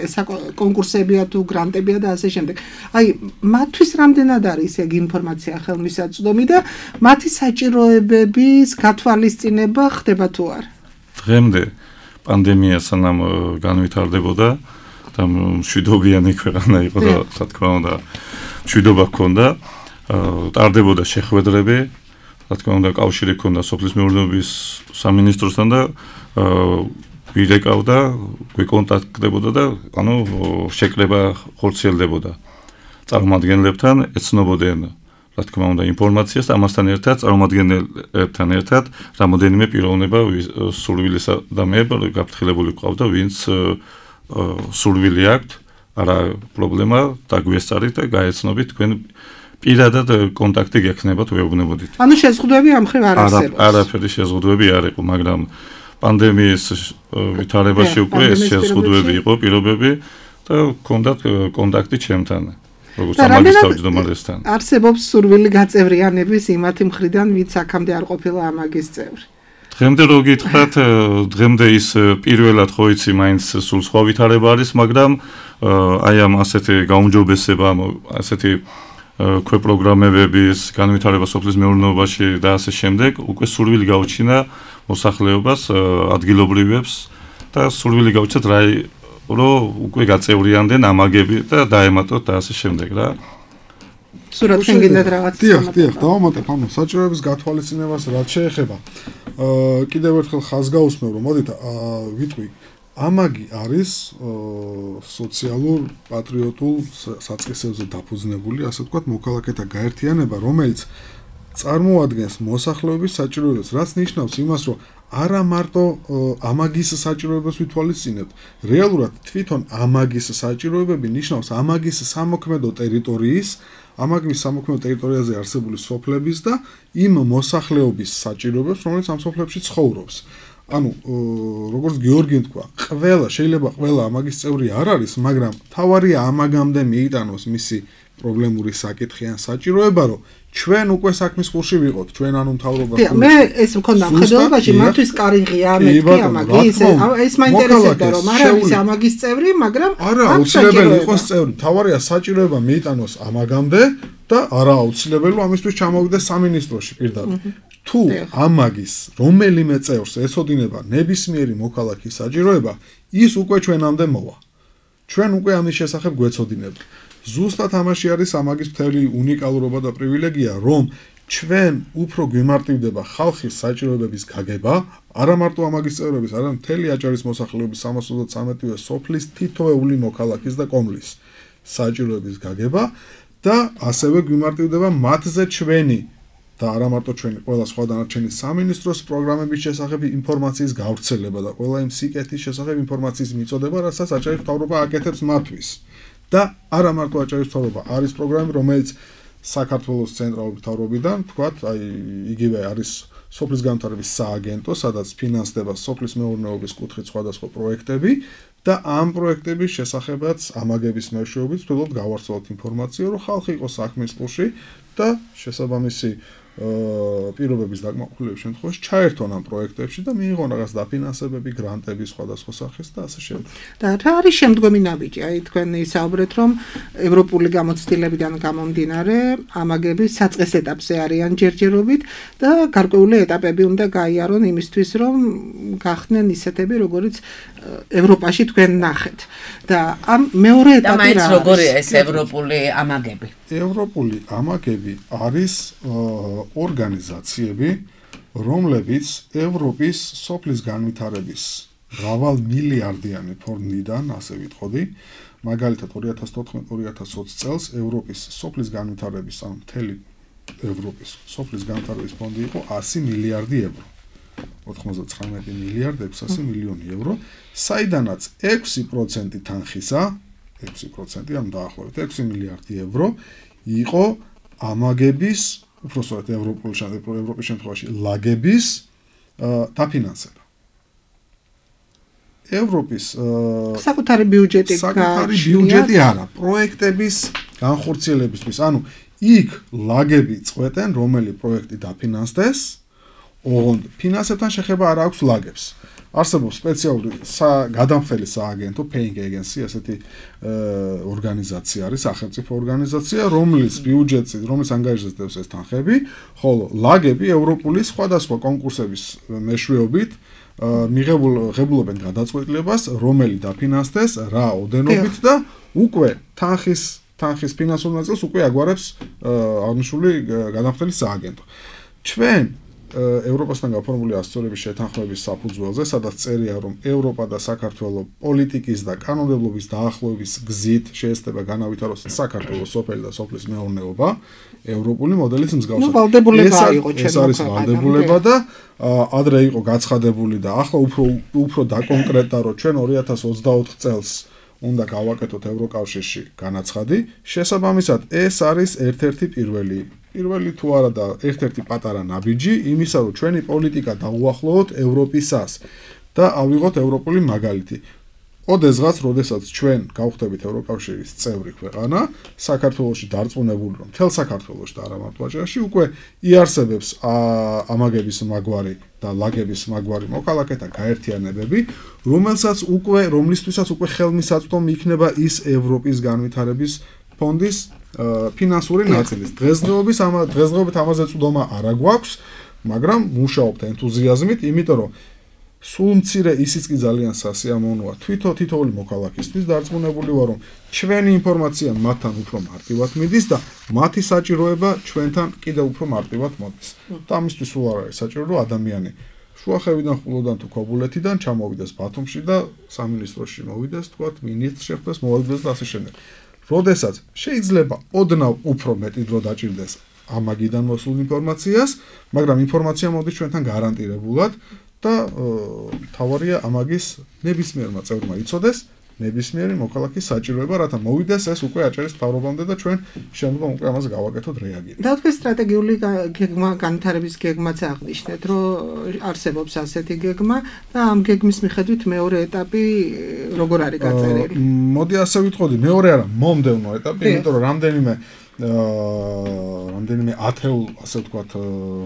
D: კონკურსებია თუ გრანტებია და ასე შემდეგ. აი, მათთვის რამდენად არის ეგ ინფორმაცია ხელმისაწვდომი და მათი საჭიროებების გათვალისწინება ხდება თუ არა?
H: დღემდე პანდემია სანამ განვითარდებოდა და მშვიდობიანი ქვეყანა იყო და რა თქმა უნდა მშვიდობა ჰქონდა, ტარდებოდა შეხვედრები, რა თქმა უნდა კავშირი ჰქონდა სოფლის მეურნეობის სამინისტროსთან და ვირეკავდა, გვიკონტაქტდებოდა და ანუ შეკრება ხორციელდებოდა. წარმომადგენლებთან ეცნობოდნენ რა თქმა უნდა ინფორმაციას, ამასთან ერთად წარმომადგენლებთან ერთად რამოდენიმე პიროვნება სურვილის ადამიანები გაფრთხილებული ყავდა, ვინც სურვილი აქვთ, არა პრობლემა, დაგვესწარით და გაეცნობით თქვენ პირადად კონტაქტი გექნება თუ ეუბნებოდით.
D: ანუ შეზღუდვები ამ ხრივ არ არსებობს.
H: არაფერი შეზღუდვები არ იყო, მაგრამ პანდემიის ვითარებაში უკვე ეს შეზღუდვები იყო, პირობები და ჰქონდათ კონტაქტი ჩემთან. როგორც ამაგის თავმჯდომარესთან.
D: არსებობს სურვილი გაწევრიანების იმათი მხრიდან, ვინც აქამდე არ ყოფილა ამაგის წევრი.
H: დღემდე რო გითხრათ, დღემდე ის პირველად ხო იცი, მაინც სულ სხვა ვითარება არის, მაგრამ აი ამ ასეთი გაუმჯობესება, ასეთი ქვე პროგრამებების განვითარება სოფლის მეურნეობაში და ასე შემდეგ, უკვე სურვილი გაუჩინა მოსახლეობას, ადგილობრივებს და სურვილი გაუჩნდათ რა რომ უკვე გაწევრიანდნენ ამაგები და დაემატოთ და ასე შემდეგ რა.
D: სურათ თქვენ გინდათ რაღაც
E: დიახ, დიახ, დავამატებ ამ საჭიროების გათვალისწინებას რაც შეეხება. აა კიდევ ერთხელ ხაზს გაუსმევ რომ მოდით ვიტყვი ამაგი არის სოციალურ პატრიოტულ საწყისებზე დაფუძნებული, ასე ვთქვათ, მოქალაქეთა გაერთიანება, რომელიც წარმოადგენს მოსახლეობის საჭიროებას, რაც ნიშნავს იმას, რომ არა მარტო ამაგის საჭიროებას ვითვალისწინებთ, რეალურად თვითონ ამაგის საჭიროებები ნიშნავს ამაგის სამოქმედო ტერიტორიის, ამაგის სამოქმედო ტერიტორიაზე არსებული სოფლების და იმ მოსახლეობის საჭიროებებს, რომელიც ამ სოფლებში ცხოვრობს. ანუ როგორც გიორგიმ თქვა, ყველა შეიძლება ყველა ამაგის წევრი არ არის, მაგრამ თავარია ამაგამდე მიიტანოს მისი პრობლემური საკითხი ან საჭიროება, რომ ჩვენ უკვე საქმის ხურში ვიყოთ, ჩვენ ანუ მთავრობა
D: ხდება. მე ეს მქონდა მხედველობაში, მათთვის კარიღია მეთქი ამაგი, ეს მაინტერესებდა რომ არა ის ამაგის წევრი, მაგრამ
E: არა აუცილებელი იყოს წევრი, თავარია საჭიროება მიიტანოს ამაგამდე და არა აუცილებელი ამისთვის ჩამოვიდეს სამინისტროში პირდაპირ. თუ ამაგის რომელიმე წევრს ეცოდინება ნებისმიერი მოქალაქის საჭიროება, ის უკვე ჩვენამდე მოვა. ჩვენ უკვე ამის შესახებ გვეცოდინება. ზუსტად ამაში არის ამაგის მთელი უნიკალურობა და პრივილეგია, რომ ჩვენ უფრო გვიმარტივდება ხალხის საჭიროებების გაგება, არა მარტო ამაგის წევრების, არამედ მთელი აჭარის მოსახლეობის სამას ოცდათვრამეტი სოფლის თითოეული მოქალაქის და კომლის საჭიროების გაგება და ასევე გვიმარტივდება მათზე ჩვენი და არა მარტო ჩვენი ყველა სხვა დანარჩენი სამინისტროს პროგრამების შესახებ ინფორმაციის გავრცელება და ყველა იმ სიკეთის შესახებ ინფორმაციის მიწოდება, რასაც აჭარის მთავრობა აკეთებს მათთვის. და არა მარტო აჭარის მთავრობა, არის პროგრამები, რომელიც საქართველოს ცენტრალური მთავრობიდან, თქვათ, აი იგივე არის სოფლის განვითარების სააგენტო, სადაც ფინანსდება სოფლის მეურნეობის კუთხით სხვადასხვა პროექტები და ამ პროექტების შესახებაც ამაგების მეშვეობით ვთქვათ გავარცვალოთ ინფორმაცია, რომ ხალხი იყოს საქმის ყურში და შესაბამისი პირობების დაკმაყოფილების შემთხვევაში ჩაერთონ ამ პროექტებში და მიიღონ რაღაც დაფინანსებები, გრანტები სხვადასხვა სახის და ასე შემდეგ.
D: და რა არის შემდგომი ნაბიჯი? აი თქვენ ისაუბრეთ, რომ ევროპული გამოცდილებიდან გამომდინარე, ამაგები საწყის ეტაპზე არიან ჯერჯერობით და გარკვეული ეტაპები უნდა გაიარონ იმისთვის, რომ გახდნენ ისეთები, როგორიც ევროპაში თქვენ ნახეთ. და ამ მეორე ეტაპი რა არის?
C: და მაინც როგორია ეს ევროპული ამაგები?
E: ევროპული ამაგები არის ორგანიზაციები, რომლებიც ევროპის სოფლის განვითარების მრავალ მილიარდიანი ფონდიდან, ასე ვიტყოდი, მაგალითად ორი ათას თოთხმეტ ორი ათას ოცი წელს ევროპის სოფლის განვითარების, ანუ მთელი ევროპის სოფლის განვითარების ფონდი იყო ასი მილიარდი ევრო. ოთხმოცდათვრამეტი მილიარდი ექვსასი მილიონი ევრო, საიდანაც ექვსი პროცენტი თანხისა, ექვსი პროცენტი, ანუ დაახლოებით ექვსი მილიარდი ევრო იყო ამაგების, უბრალოდ ევროპული ევროპის შემთხვევაში ლაგების დაფინანსება. ევროპის
D: საკუთარი ბიუჯეტი
E: საკუთარი ბიუჯეტი არა, პროექტების განხორციელებისთვის, ანუ იქ ლაგები წყვეტენ, რომელი პროექტი დაფინანსდეს, ოღონდ ფინანსებთან შეხება არ აქვს ლაგებს. არსებობს სპეციალური გადამხდელი სააგენტო paying agency, ასეთი ორგანიზაცია არის, სახელმწიფო ორგანიზაცია, რომლის ბიუჯეტი, რომლის ანგარიშებს ეს თანხები, ხოლო ლაგები ევროპული სხვადასხვა კონკურსების მეშვეობით მიღებულობენ გადაწყვეტილებას, რომელი დაფინანსდეს, რა ოდენობით და უკვე თანხის თანხის ფინანსურ ნაწილს უკვე აგვარებს აღნიშნული გადამხდელი სააგენტო. ჩვენ ევროპასთან გაფორმებული ასოცირების შეთანხმების საფუძველზე, სადაც წერია, რომ ევროპა და საქართველოს პოლიტიკის და კანონმდებლობის დაახლოების გზით შეეცდება განავითაროს საქართველოს სოფელი და სოფლის მეურნეობა, ევროპული მოდელის მსგავსად. ეს არის ვალდებულება და ადრე იყო გაცხადებული და ახლა უფრო უფრო დაკონკრეტდა, რომ ჩვენ ორი ათას ოცდაოთხ წელს უნდა გავაკეთოთ ევროკავშირში განაცხადი. შესაბამისად, ეს არის ერთ-ერთი პირველი პირველი თუ არა და ერთ-ერთი პატარა ნაბიჯი იმისა, რომ ჩვენი პოლიტიკა დაუახლოვოთ ევროპისას და ავიღოთ ევროპული მაგალითი. ოდესღაც, როდესაც ჩვენ გავხდებით ევროკავშირის წევრი ქვეყანა, საქართველოში დარწმუნებული, რომ მთელ საქართველოში და არა მარტო აჭარაში უკვე იარსებებს ამაგების მაგვარი და ლაგების მაგვარი მოქალაქეთა გაერთიანებები, რომელსაც უკვე რომლისთვისაც უკვე ხელმისაწვდომი იქნება ის ევროპის განვითარების ფონდის ფინანსური ნაწილის. დღესდღეობის ამ დღესდღეობით ამაზე წვდომა არ აგვაქვს, მაგრამ მუშაობთ ენთუზიაზმით, იმიტომ რომ სულ მცირე ისიც კი ძალიან სასიამოვნოა. თვითონ თითოეული მოქალაქისთვის დარწმუნებული ვარ, რომ ჩვენი ინფორმაცია მათთან უფრო მარტივად მიდის და მათი საჭიროება ჩვენთან კიდევ უფრო მარტივად მოდის. და ამისთვის სულ არ არის საჭირო, რომ ადამიანი შუახევიდან, ხულოდან თუ ქობულეთიდან ჩამოვიდეს ბათუმში და სამინისტროში მოვიდეს, თქვათ, მინისტრს შეხვდეს, მოვიდეს და ასე შემდეგ. როდესაც შეიძლება ოდნავ უფრო მეტი დრო დაჭირდეს ამაგიდან მოსულ ინფორმაციას, მაგრამ ინფორმაცია მოდის ჩვენთან გარანტირებულად და თავარია ამაგის ნებისმიერმა წევრმა იცოდეს ნებისმიერი მოქალაქის საჭიროება, რათა მოვიდეს ეს უკვე აჭარის მთავრობამდე და ჩვენ შემდგომ უკვე ამაზე გავაკეთოთ რეაგირება.
D: და თქვენ სტრატეგიული გეგმა, განვითარების გეგმაც აღნიშნეთ, რომ არსებობს ასეთი გეგმა და ამ გეგმის მიხედვით მეორე ეტაპი როგორ არის გაწერილი?
E: მოდი ასე ვიტყოდი, მეორე არა, მომდევნო ეტაპი, იმიტომ რომ რამდენიმე აა რამდენიმე ათეულ, ასე ვთქვათ,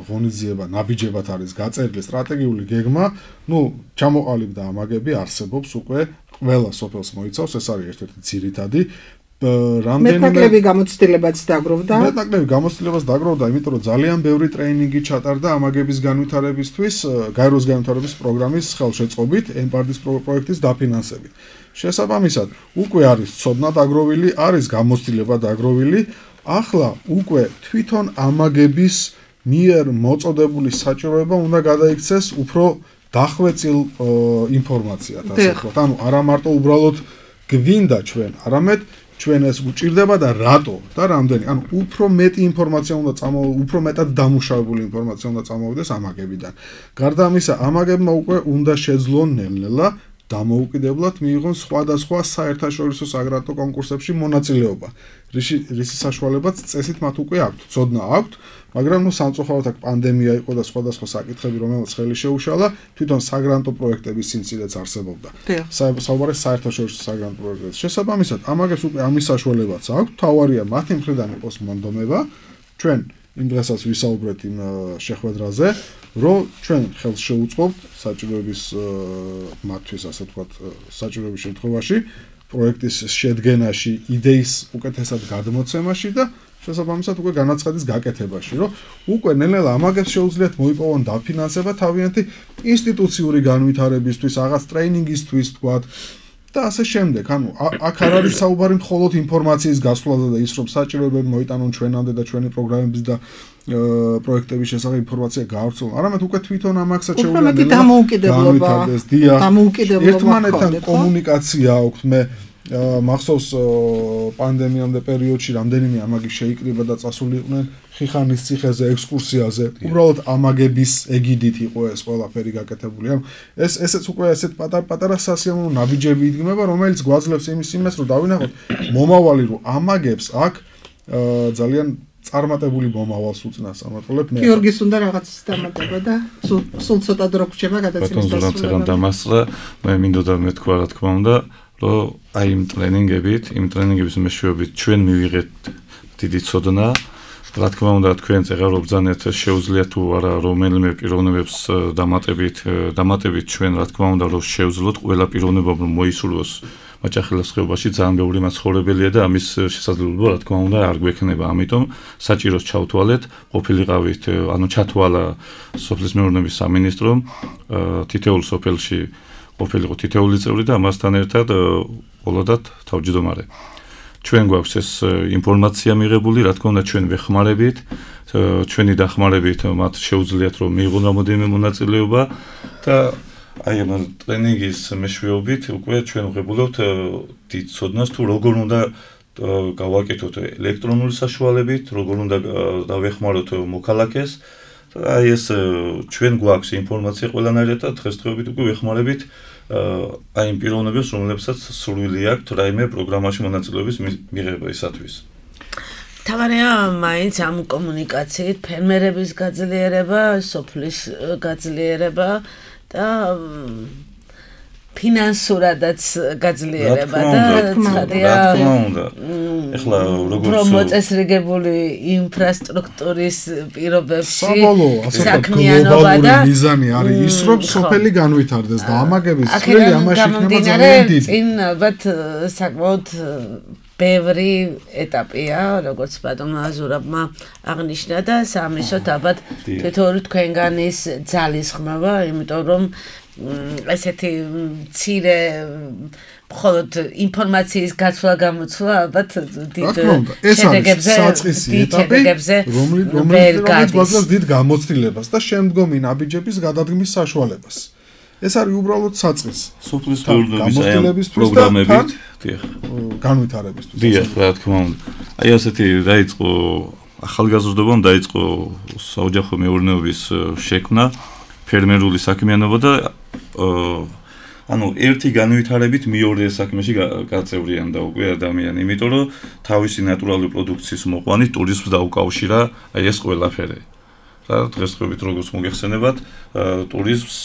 E: ღონისძიება, ნაბიჯებად არის გაწერილი სტრატეგიული გეგმა, ну, ჩამოყალიბდა ამაგები, არსებობს უკვე ყველა სოფელს მოიცავს, ეს არის ერთ-ერთი ძირითადი რამდენიმე
D: მეტნაკლები გამოცდილებაც დაგროვდა.
E: მეტნაკლები გამოცდილებას დაგროვდა, იმიტომ რომ ძალიან ბევრი ტრეინინგი ჩატარდა ამაგების განვითარებისთვის, გაეროს განვითარების პროგრამის ხელშეწყობით, ემპარდის პროექტის დაფინანსებით. შესაბამისად, უკვე არის ცოდნა დაგროვილი, არის გამოცდილება დაგროვილი. ახლა უკვე თვითონ ამაგების მიერ მოწოდებული საჭიროება უნდა გადაიქცეს უფრო დახვეწილ ინფორმაციად, ასე ვთქვათ. ანუ არა მარტო უბრალოდ გვინდა ჩვენ, არამედ ჩვენ ეს გვჭირდება და რატო და რამდენი. ანუ უფრო მეტი ინფორმაცია უნდა წამოვიდეს, უფრო მეტად დამუშავებული ინფორმაცია უნდა წამოვიდეს ამაგებიდან. გარდა ამისა, ამაგებმა უკვე უნდა შეძლონ ნელ-ნელა დამოუკიდებლად მიიღონ სხვადასხვა საერთაშორისო საგრანტო კონკურსებში მონაწილეობა. რის საშუალებაც წესით მათ უკვე აქვთ, ცოდნა აქვთ, მაგრამ ნუ სამწუხაროდ აქ პანდემია იყო და სხვადასხვა საკითხები, რომელსაც ხელი შეუშალა, თვითონ საგრანტო პროექტების სიმცირეც არსებობდა. საუბარი საერთაშორისო საგრანტო პროექტებზე. შესაბამისად, ამაგებს უკვე ამის საშუალებაც აქვთ, თავარია მათი მხრიდან იყოს მონდომება. ჩვენ იმ დღესაც ვისაუბრეთ იმ შეხვედრაზე, რომ ჩვენ ხელს შევუწყობთ საჭიროების მათთვის, ასე ვთქვათ, საჭიროების შემთხვევაში, პროექტის შედგენაში, იდეის უკეთესად გადმოცემაში და შესაბამისად უკვე განაცხადის გაკეთებაში, რომ უკვე ნელ-ნელა ამაგებს შეუძლიათ მოიპოვონ დაფინანსება თავიანთი ინსტიტუციური განვითარებისთვის, რაღაც ტრეინინგისთვის, თქვათ და ასე შემდეგ. ანუ აქ არ არის საუბარი მხოლოდ ინფორმაციის გასვლაზე და ის რომ საჭიროებები მოიტანონ ჩვენამდე და ჩვენი პროგრამების და პროექტების შესახებ ინფორმაცია გაავრცელონ. არამედ უკვე თვითონ ამაგსაც
D: შეუძლია
E: განვითარდეს. ერთმანეთთან კომუნიკაცია აქვს. მე მახსოვს პანდემიამდე პერიოდში რამდენიმე ამაგი შეიკრიბა და წასული იყვნენ ხიხანის ციხეზე ექსკურსიაზე. უბრალოდ ამაგების ეგიდით იყო ეს ყველაფერი გაკეთებული. ანუ ეს ესეც უკვე ესეთ პატარ-პატარა სასიამოვნო ნაბიჯები იდგმება, რომელიც გვაძლევს იმის იმას, რომ დავინახოთ მომავალი, რომ ამაგებს აქ ძალიან წარმატებული მომავალს უწნას ამატოლებ მე.
D: გიორგის უნდა რაღაც დამატება და სულ ცოტა დრო გრჩება გადაცემის
H: დასრულებამდე. დამასწრა მე მინდოდა მეთქვა რა თქმა უნდა, რომ აი იმ ტრენინგებით, იმ ტრენინგების მეშვეობით ჩვენ მივიღეთ დიდი ცოდნა. რა თქმა უნდა, თქვენ წეღარობძანეთ შეუძლიათ თუ არა რომელიმე პიროვნებებს დამატებით, დამატებით ჩვენ რა თქმა უნდა, რომ შევძლოთ ყველა პიროვნება რომ მოისურვოს მაჭახელის ხეობაში ძალიან ბევრი მაცხოვრებელია და ამის შესაძლებლობა რა თქმა უნდა არ გვექნება. ამიტომ საჭიროს ჩავთვალეთ, ყოფილიყავით, ანუ ჩათვალა სოფლის მეურნეობის სამინისტრომ თითოეულ სოფელში ყოფილიყო თითოეული წევრი და ამასთან ერთად ბოლოდად თავმჯდომარე. ჩვენ გვაქვს ეს ინფორმაცია მიღებული, რა თქმა უნდა ჩვენ ვეხმარებით, ჩვენი დახმარებით მათ შეუძლიათ რომ მიიღონ რამოდენიმე მონაწილეობა და აი ამ ტრენინგის მეშვეობით უკვე ჩვენ ვღებულობთ დიდ ცოდნას თუ როგორ უნდა გავაკეთოთ ელექტრონული საშუალებით, როგორ უნდა დავეხმაროთ მოქალაქეს. აი ეს ჩვენ გვაქვს ინფორმაცია ყველანაირად და დღესდღეობით უკვე ვეხმარებით აი იმ პიროვნებებს, რომლებსაც სურვილი აქვთ რაიმე პროგრამაში მონაწილეობის მიღებისათვის.
C: თავარია მაინც ამ კომუნიკაციით ფერმერების გაძლიერება, სოფლის გაძლიერება და ფინანსურადაც გაძლიერება და
H: რა თქმა უნდა. ეხლა როგორც
C: პრომოწესრიგებული ინფრასტრუქტურის პირობებში
E: საქმიანობა და მიზანი არის ის რომ სოფელი განვითარდეს და ამაგების წვლილი ამაში იქნება ძალიან დიდი.
C: წინ ალბათ საკმაოდ ბევრი ეტაპია, როგორც ბატონმა აზურაბმა აღნიშნა და სამისოთ ალბათ თითოეული თქვენგანის ძალისხმევა, იმიტომ რომ ესეთი მცირე მხოლოდ ინფორმაციის გაცვლა გამოცვლა ალბათ დიდ შედეგებზე
E: ეტაპებზე რომელიც გვაძლევს დიდ გამოცდილებას და შემდგომი ნაბიჯების გადადგმის საშუალებას. ეს არის უბრალოდ საწყის
H: სოფლის მეურნეობის პროგრამებით, დიახ,
E: განვითარებისთვის.
H: დიახ, რა თქმა უნდა. აი ასეთი დაიწყო ახალგაზრდობამ დაიწყო საოჯახო მეურნეობის შექმნა, ფერმერული საქმიანობა და ანუ ერთი განვითარებით მეორე საქმეში გაწევრიანდა უკვე ადამიანი, იმიტომ რომ თავისი ნატურალური პროდუქციის მოყვანით ტურიზმს დაუკავშირა აი ეს ყველაფერი. და დღესდღეობით როგორც მოგეხსენებათ, ტურიზმს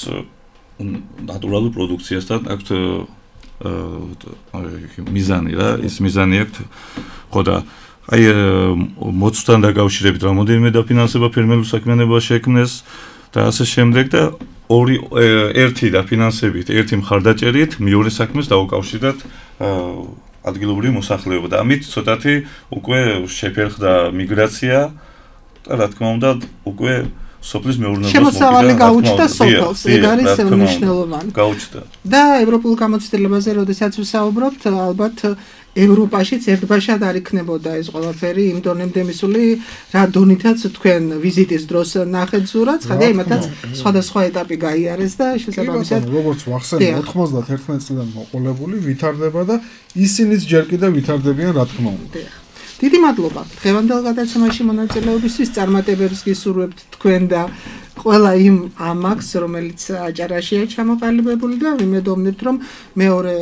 H: ნატურალურ პროდუქციასთან აქვს მიზანი რა, ის მიზანი აქვს. ხო და აი მოცვთან დაკავშირებით რამოდენიმე დაფინანსება ფერმერულ საქმიანობას შექმნეს და ასე შემდეგ და ორი ერთი დაფინანსებით, ერთი მხარდაჭერით მეორე საქმეს დაუკავშირდათ ადგილობრივი მოსახლეობა და ამით ცოტათი უკვე შეფერხდა მიგრაცია და რა თქმა უნდა უკვე სოფლის მეურნეობას
D: შემოსავალი გაუჩნდა სოფელს, ეგ არის მნიშვნელოვანი.
H: გაუჩნდა.
D: და ევროპულ გამოცდილებაზე, როდესაც ვსაუბრობთ, ალბათ ევროპაშიც ერთბაშად არ იქნებოდა ეს ყველაფერი იმ დონემდე მისული, რა დონითაც თქვენ ვიზიტის დროს ნახეთ ზურაც, ხადი იმათაც სხვადასხვა ეტაპი გაიარეს და შესაბამისად
E: როგორც ვახსენე ოთხმოცდაერთმეტ წლიდან მოყოლებული ვითარდება და ისინიც ჯერ კიდევ ვითარდებიან რა თქმა უნდა.
D: დიდი მადლობა დღევანდელ გადაცემაში მონაწილეობისთვის, წარმატებებს გისურვებთ თქვენ და ყველა იმ ამაკს, რომელიც აჭარაშია ჩამოყალიბებული და ვიმედოვნებთ, რომ მეორე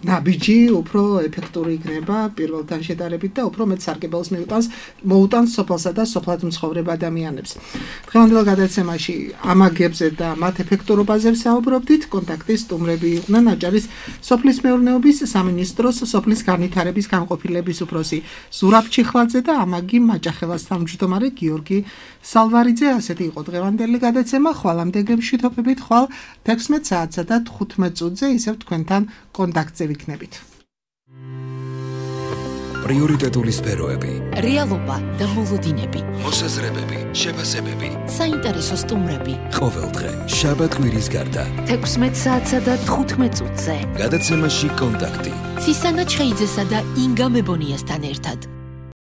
D: ნაბიჯი უფრო ეფექტური იქნება პირველთან შედარებით და უფრო მეტ სარგებელს მიუტანს მოუტანს სოფელსა და სოფლად მცხოვრებ ადამიანებს. დღევანდელ გადაცემაში ამაგებზე და მათ ეფექტურობაზე ვსაუბრობდით. კონტაქტის სტუმრები იყვნენ აჭარის სოფლის მეურნეობის სამინისტროს სოფლის განვითარების განყოფილების უფროსი ზურაბ ჩიხლაძე და ამაგი მაჭახელას თავმჯდომარე გიორგი სალვარიძე. ასეთი იყო დღევანდელი გადაცემა. ხვალამდე გემშვიდობებით, ხვალ თექვსმეტ საათსა და თხუთმეტ წუთზე ისევ თქვენთან კონტაქტზე ვიქნებით.
A: პრიორიტეტული სფეროები,
B: რეალობა და მოლოდინები,
A: მოსაზრებები, შეფასებები,
B: საინტერესო სტუმრები.
A: ყოველდღე შაბათ-კვირის გარდა
B: თექვსმეტ საათსა და თხუთმეტ წუთზე.
A: გადაცემაში კონტაქტი.
B: ცისანა ჩხეიძესა და ინგა მებონიასთან ერთად.